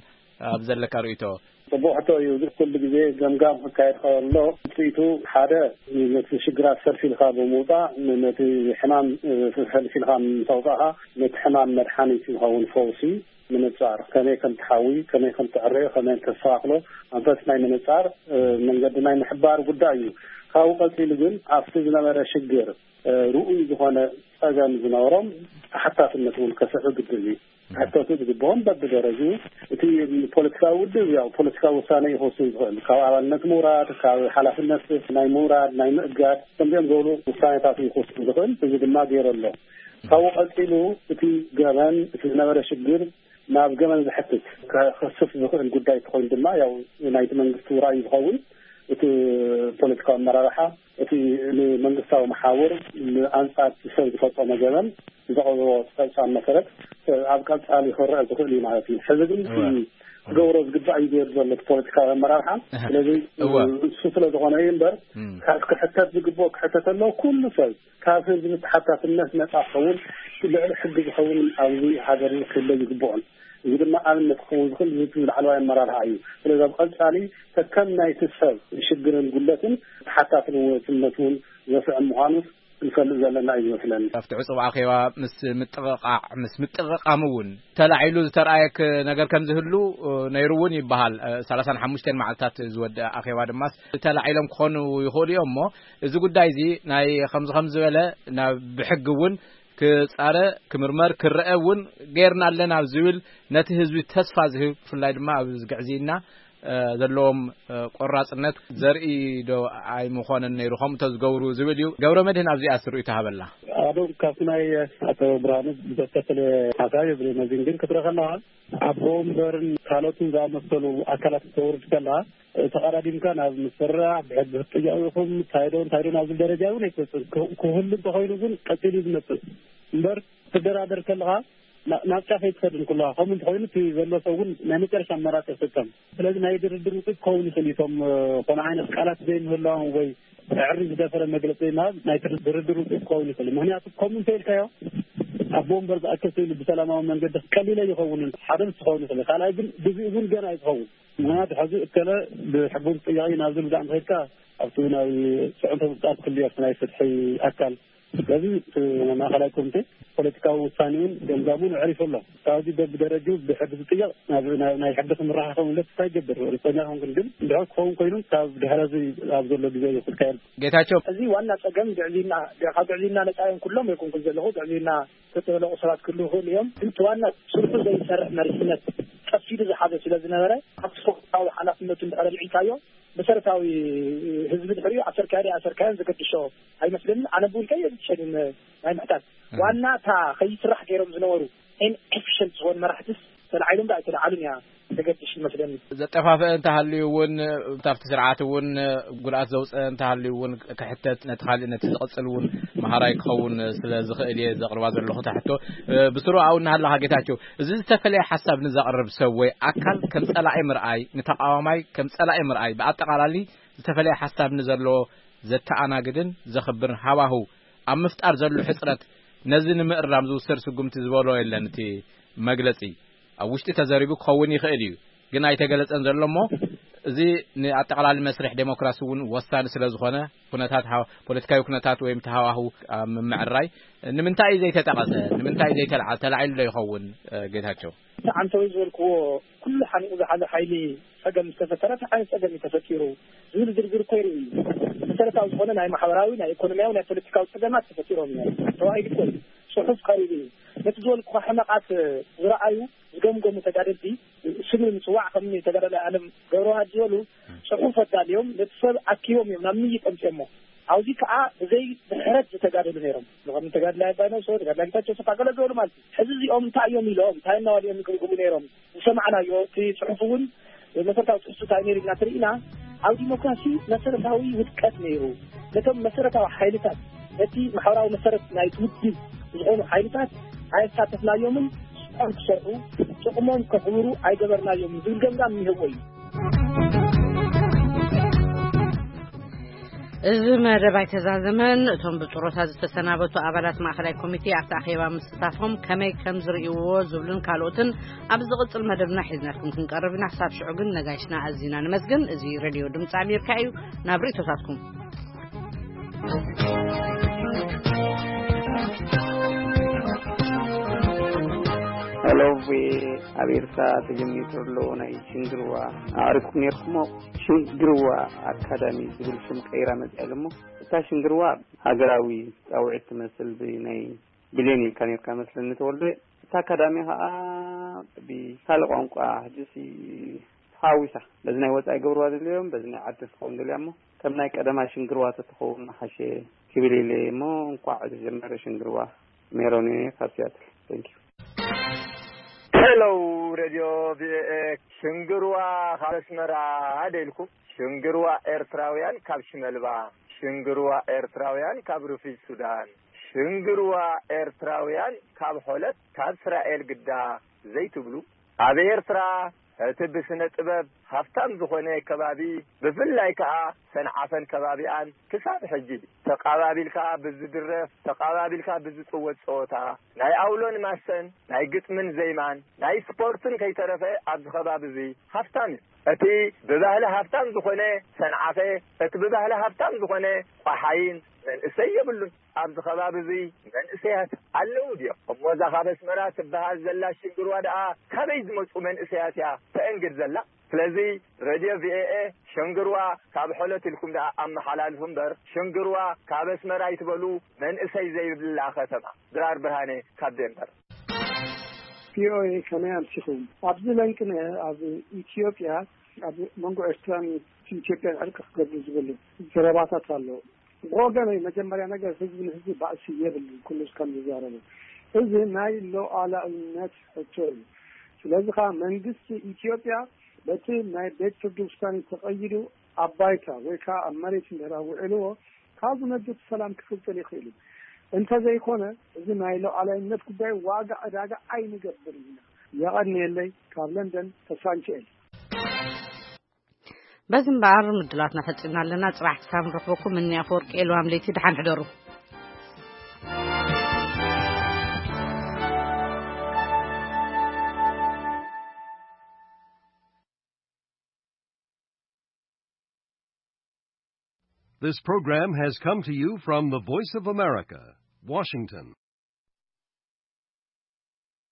ኣብ ዘለካ ርእይቶ? ጽቡቕ ሕቶ እዩ። እዚ ኩሉ ግዜ ገምጋም ክካየድ ከሎ ውጽኢቱ ሓደ ነቲ ሽግራት ፈልፊልካ ብምውጻእ፣ ን-፣ ነቲ ሕማም፣ እ፣ ፈልፊልካ ምስ ኣውጻእካ ነቲ ሕማም መድሓኒት ይኸውን፣ ፈውሲ ምንጻር፣ ከመይ ከም ትሓዊ፣ ከመይ ከም ትዕረዮ፣ ከመይ ከም ተስተኻኽሎ ኣንፈት ናይ ምንጻር፣ እ፣ መንገዲ ናይ ምሕባር ጉዳይ እዩ። ካብኡ ቀጺሉ ግን ኣብቲ ዝነበረ ሽግር፣ እ፣ ርኡይ ዝኾነ ጸገም ዝነበሮም ተሓታትነት እውን ከስዕብ ግድን እዩ። ክሕተቱ ዝግብኦም በብደረጅኡ፣ እቲ ፖለቲካዊ ውድብ ያው ፖለቲካዊ ውሳነ እዩ ክወስን ዝኽእል። ካብ ኣባልነት ምውራድ፣ ካብ ሓላፍነት ናይ ምውራድ፣ ናይ ምእጋድ፣ ከምዚኦም ዝበሉ ውሳኔታት እዩ ክወስን ዝኽእል። እዚ ድማ ገይሩ ኣሎ። ካብኡ ቀጺሉ እቲ ገበን፣ እቲ ዝነበረ ሽግር ናብ ገበን ዘሕትት፣ ከኽስስ ዝኽእል ጉዳይ እንተኾይኑ ድማ ያው ናይቲ መንግስቲ ራእይ ዝኸውን፣ እቲ ፖለቲካዊ ኣመራርሓ እቲ ንመንግስታዊ መሓውር ንኣንጻር እቲ ሰብ ዝፈጸሞ ገበን ዘቕረቦ ጸብጻብ መሰረት ኣብ ቀጻሊ ክረአ ዝኽእል እዩ ማለት እዩ። ሕዚ ግን እቲ እወ። ክገብሮ ዝግባእ እዩ ገይሩ ዘሎ እቲ ፖለቲካዊ ኣመራርሓ። እህ። ስለዚ እወ። እሱ ስለ ዝኾነ እዩ እምበር እም። ካብ ክሕተት ዝግብኦ ክሕተት ኣለዎ። ኩሉ ሰብ ካብ ህዝቢ ተሓታትነት ነጻ ክኸውን፣ ልዕሊ ሕጊ ዝኸውን ኣብዚ ሃገር ክህለ ዝግብኦን። እዚ ድማ ኣብነት ክኸውን ዝኽእል እዚ ላዕለዋይ ኣመራርሓ እዩ። ስለዚ ኣብ ቀጻሊ ከከም ናይቲ ሰብ ሽግርን ጉለትን ተሓታትነትነቱ እውን ዘስዕብ ምዃኑ ክንፈልጥ ዘለና እዩ ዝመስለኒ። ኣብቲ ዕጹብ ኣኼባ ምስ ምጥቕቓዕ፣ ምስ ምጥቕቓም እውን ተላዒሉ ዝተረኣየ ክ-፣ ነገር ከም ዝህሉ፣ እ፣ ነይሩ እውን ይበሃል። እ፣ ሰላሳን ሓሙሽተን መዓልታት ዝወደአ ኣኼባ ድማ ተላዒሎም ክኾኑ ይኽእሉ እዮም። እሞ እዚ ጉዳይ እዚ ናይ ከምዚ ከምዚ ዝበለ ናብ ብሕጊ እውን ክጻረ፣ ክምርመር፣ ክረአ እውን ጌርና ኣለና ኣብ ዝብል ነቲ ህዝቢ ተስፋ ዝህብ፣ ብፍላይ ድማ ኣብ ግዕዝይና፣ እ፣ ዘለዎም፣ እ፣ ቆራጽነት ዘርኢ ዶ ኣይምኾነን ነይሩ፣ ከምኡ ተዝገብሩ ዝብል እዩ። ገብረ መድህን ኣብዚኣ ስርኡ ተሃበላ። ኣዶ ካብቲ ናይ ኣቶ ብርሃኑ ዝተፈለ ሓሳብ የብለይን። ነዚን ግን ክትረኸና ኣቦ ወንበርን ካልኦትን ዝኣመሰሉ ኣካላት ክተውርድ ከለኻ፣ ተቐዳዲምካ ናብ ምስርራዕ፣ ብሕጊ ክትጥየቑ ኢኹም፣ እንታይ ዶ፣ እንታይ ዶ ናብ ዝብል ደረጃ እውን ኣይትበጽሕን። ክህ-፣ ክህሉ እንተኾይኑ ግን ቀጺሉ እዩ ዝመጽእ። እምበር፣ ክትደራደር ከለኻ፣ ና-፣ ናብ ጫፍ ኣይትኸድን ኩለኻ። ከምኡ እንተኾይኑ፣ እቲ ዘሎ ሰብ እውን ናይ መጨረሻ ኣማራጺ ይጥቀም። ስለዚ፣ ናይ ድርድር ውፅኢት ክኸውን ይኽእል እዩ። እቶም፣ እ፣ ዝኾነ ዓይነት ቃላት ዘይምህላዎም ወይ ዕሪ ዝደፈረ መግለጺ ዘይምሃብ፣ ናይ ድርድር ውፅኢት ክኸውን ይኽእል እዩ። ምኽንያቱ፣ ከምኡ እንተኢልካዮ፣ ኣቦ እምበር ዝኣከሰ ኢሉ ብሰላማዊ መንገዲ ቀሊለ ይኸውን። ሓደ ምስ ትኸውን ይኽእል፣ ካልኣይ ግን ግዜኡ እውን ገና ኣይትኸውን። ምክንያቱ ሕዚ እከለ ብሕጉ ዝጥየቕ እዩ ናብ ዝብል ዛዕባ ከይድካ ኣብቲ ናይ ፅዕንቶ ምፍጣር ክልዮ ኣብቲ ናይ ፍትሒ ኣካል። ስለዚ እቲ ማእኸላይ ኮሚቴ ፖለቲካዊ ውሳኔውን ገምጋሙን ኣዕሪፉ ኣሎ። ካብዚ በብደረጅኡ ብሕጊ ዝጥየቕ ናብ ናይ ሕጊ ክምራሕ ከምለት እንታይ ይገብር ርፀኛ ኸውን ግን ድሕር ክኸውን ኮይኑ ካብ ድሕረዚ ኣብ ዘሎ ግዜ እዩ ክካየድ። ጌታቸው። እዚ ዋና ጸገም ግዕዝይና፣ ካብ ግዕዝይና ነጻ እዮም ኩሎም የኮንኩን ዘለኹ። ግዕዝይና ዝተጠለቑ ሰባት ክህልዉ ይኽእሉ እዮም። ግን እቲ ዋና ስርሑ ዘይሰርሕ መሪሕነት ቀስ ኢሉ ዝሓዘ ስለ ዝነበረ፣ ኣብቲ ሰብኣዊ ሓላፍነቱ እንድሕር ኣልዒልካዮ፣ መሰረታዊ ህዝቢ ድሕሪኡ ኣሰርካዮ ኣሰርካዮን ዘገድሾ ኣይመስለንን። ኣነ ብውልቀይ የዝሸንን ናይ ምሕታት ዋና እታ ከይስራሕ ገይሮም ዝነበሩ ኢንኤፊሽንት ዝኾኑ መራሕትስ ተላዒሎም ዶ ኣይተላዓሉን እያ ተገድሽ ይመስለኒ። ዘጠፋፍአ እንተሃልዩ እውን፣ ኣብቲ ስርዓት እውን ጉድኣት ዘውፅአ እንተሃልዩ እውን ክሕተት፣ ነቲ ካልእ ነቲ ዝቕፅል እውን መሃራይ ክኸውን ስለ ዝኽእል እየ ዘቕርባ ዘለኹ እታ ሕቶ። ብስሩ ኣውና ሃለኻ ጌታቸው፣ እዚ ዝተፈለየ ሓሳብ ንዘቕርብ ሰብ ወይ ኣካል ከም ጸላኢ ምርኣይ፣ ንተቃዋማይ ከም ጸላኢ ምርኣይ፣ ብኣጠቓላሊ ዝተፈለየ ሓሳብ ንዘለዎ ዘተኣናግድን ዘኽብርን ሃዋህው ኣብ ምፍጣር ዘሎ ሕጽረት፣ ነዚ ንምእራም ዝውሰድ ስጉምቲ ዝበሎ የለን። እቲ መግለጺ ኣብ ውሽጢ ተዘሪቡ ክኸውን ይኽእል እዩ፣ ግን ኣይተገለጸን ዘሎ እሞ፣ እዚ ንኣጠቓላሊ መስርሕ ዴሞክራሲ እውን ወሳኒ ስለ ዝኾነ፣ ኩነታት ሃ-፣ ፖለቲካዊ ኩነታት ወይም ተሃዋህው ኣብ ምምዕራይ ንምንታይ እዩ ዘይተጠቐሰ? ንምንታይ እዩ ዘይተልዓ-፣ ተላዒሉ ዶ ይኸውን፣ እ፣ ጌታቸው? እቲ ዓንተወይ ዝበልክዎ፣ ኩሉ ሓኒቑ ዝሓዘ ሓይሊ ጸገም ምስ ተፈጠረ፣ እንታይ ዓይነት ጸገም እዩ ተፈጢሩ ዝብል ዝርዝር እኮ ይርኢ እዩ። መሰረታዊ ዝኾነ ናይ ማሕበራዊ፣ ናይ ኢኮኖሚያዊ፣ ናይ ፖለቲካዊ ጸገማት ተፈጢሮም እዮም። ተዋሂዱ እኮ እዩ። ጽሑፍ ቀሪቡ እዩ። ነቲ ዝበልኩኻ ሕመቓት ዝረኣዩ፣ ዝገምገሙ ተጋደልቲ፣ ስም ንምጽዋዕ ከም ተጋዳላይ ኣለም ገብረዋህድ ዝበሉ ጽሑፍ ኣዳልዮም ነቲ ሰብ ኣኪቦም እዮም ናብ ምይይጥ ኣምጺኦሞ። ኣብዚ ከኣ ብዘይ ድሕረት ዝተጋደሉ ነይሮም። ንኸም ተጋዳላይ ኣባይ ነብሶ፣ ተጋዳላይ ጌታቸው ሰፋ ገለ ዝበሉ ማለት እዩ። ሕዚ እዚኦም እንታይ እዮም ኢሎም፣ እንታይ እናበሉ እዮም ይግምግሙ ነይሮም? ዝሰማዕናዮ እቲ ጽሑፍ እውን መሰረታዊ ትሕዝቶ እንታይ ነይሩ ኢልና ተሪኢና፣ ኣብ ዲሞክራሲ መሰረታዊ ውድቀት ነይሩ። ነቶም መሰረታዊ ሓይልታት፣ ነቲ ማሕበራዊ መሰረት ናይቲ ውድብ ዝኾኑ ሓይልታት ኣየሳተፍናዮምን ስራሖም ክሰርሑ፣ ጥቕሞም ከኽብሩ ኣይገበርናዮምን ዝብል ገምጋም እኒሀዎ እዩ። እዚ መደብ ኣይተዛዘመን። እቶም ብጡረታ ዝተሰናበቱ ኣባላት ማእኸላይ ኮሚቴ ኣብቲ ኣኼባ ምስታፎም ከመይ ከም ዝርእይዎ ዝብሉን ካልኦትን ኣብ ዝቕጽል መደብና ሒዝናልኩም ክንቀርብ ኢና። ክሳብ ሽዑ ግን ነጋይሽና ኣዚና ንመስግን። እዚ ሬድዮ ድምፂ ኣሜሪካ እዩ። ናብ ርእይቶታትኩም። ሄሎ፣ ቪኦኤ፣ ኣብ ኤርትራ ተጀሚሩ ዘሎ ናይ ሽንግርዋ ኣዕሪፍኩም ነርኩሞ። ሽንግርዋ ኣካዳሚ ዝብል ሽም ቀይራ መጽያ ኣሎ እሞ፣ እታ ሽንግርዋ ሃገራዊ ጻውዒት ትመስል፣ ብናይ ብሌን ኢልካ ነርካ መስለኒ ተወልደ። እታ ኣካዳሚ ከኣ ብካልእ ቋንቋ ሕጂሲ ተሓዊሳ፣ በዚ ናይ ወጻኢ ገብርዋ ደልዮም፣ በዚ ናይ ዓዲ ትኸውን ደልያ እሞ፣ ከም ናይ ቀደማ ሽንግርዋ ተትኸውን ምሓሸ ክብል ኢለ እሞ፣ እንቋዕ ዝተጀመረ ሽንግርዋ። ሜሮን እየ ካብ ሲያትል። Thank you። ሄሎ፣ ሬድዮ ቪኦኤ። ሽንግርዋ ካብ ኣስመራ ደልኩም። ሽንግርዋ ኤርትራውያን ካብ ሽመልባ። ሽንግርዋ ኤርትራውያን ካብ ሩፊድ ሱዳን። ሽንግርዋ ኤርትራውያን ካብ ሖለት፣ ካብ እስራኤል ግዳ ዘይትብሉ። ኣብ ኤርትራ እቲ ብስነ ጥበብ ሃፍታም ዝኾነ ከባቢ፣ ብፍላይ ከኣ ሰንዓፈን ከባቢኣን ክሳብ ሕጂ ተቓባቢልካ ብዝድረፍ፣ ተቓባቢልካ ብዝጽወት ጸወታ፣ ናይ ኣውሎን ማሰን፣ ናይ ግጥምን ዜማን፣ ናይ ስፖርትን ከይተረፈ ኣብዚ ከባቢ እዚ ሃፍታም እዩ። እቲ ብባህሊ ሃፍታም ዝኾነ ሰንዓፈ፣ እቲ ብባህሊ ሃፍታም ዝኾነ ቋሓይን መንእሰይ የብሉን። ኣብዚ ከባቢ እዚ መንእሰያት ኣለዉ ድዮም? እሞ እዛ ካብ ኣስመራ ትበሃል ዘላ ሽንግርዋ ደኣ ካበይ ዝመጹ መንእሰያት እያ ተእንግድ ዘላ? ስለዚ ሬድዮ ቪኦኤ ሽንግርዋ ካብ ሖለት ኢልኩም ደኣ ኣመሓላልፉ እምበር፣ ሽንግርዋ ካብ ኣስመራ ኣይትበሉ፣ መንእሰይ ዘይብላ ከተማ። ድራር ብርሃነ ካብ ዴንቨር። ቪኦኤ ከመይ ኣምሲኹም? ኣብዚ ለንቅነ ኣብ ኢትዮጵያ፣ ኣብ መንጎ ኤርትራን ኢትዮጵያን ዕርቂ ክገብሩ ዝብሉ ዘረባታት ኣለዉ። ብወገነይ መጀመርያ ነገር ህዝቢ ንህዝቢ ባእሲ የብሉን፣ ኩሉ ከም ዝዛረቡ። እዚ ናይ ሉዓላዊነት ሕቶ እዩ። ስለዚ ኸዓ መንግስቲ ኢትዮጵያ በቲ ናይ ቤት ፍርዲ ውሳኔ ተቐይዱ ኣብ ባይታ ወይ ከዓ ኣብ መሬት እንድሕር ኣውዒልዎ፣ ካብኡ ነድት ሰላም ክፍጠር ይኽእል እዩ። እንተዘይኮነ፣ እዚ ናይ ሉዓላዊነት ጉዳይ ዋጋ ዕዳጋ ኣይንገብርን ኢና። የቐንየለይ፣ ካብ ለንደን ተስፋ ሚካኤል። በዚ እምበኣር ምድላትና ፈጺምና ኣለና። ጽባሕ ክሳብ ንረኽበኩም፣ እኒ ኣፈወርቂ ኤልዋም ለይቲ፣ ደሓን ሕደሩ። This program has come to you from the Voice of America, Washington.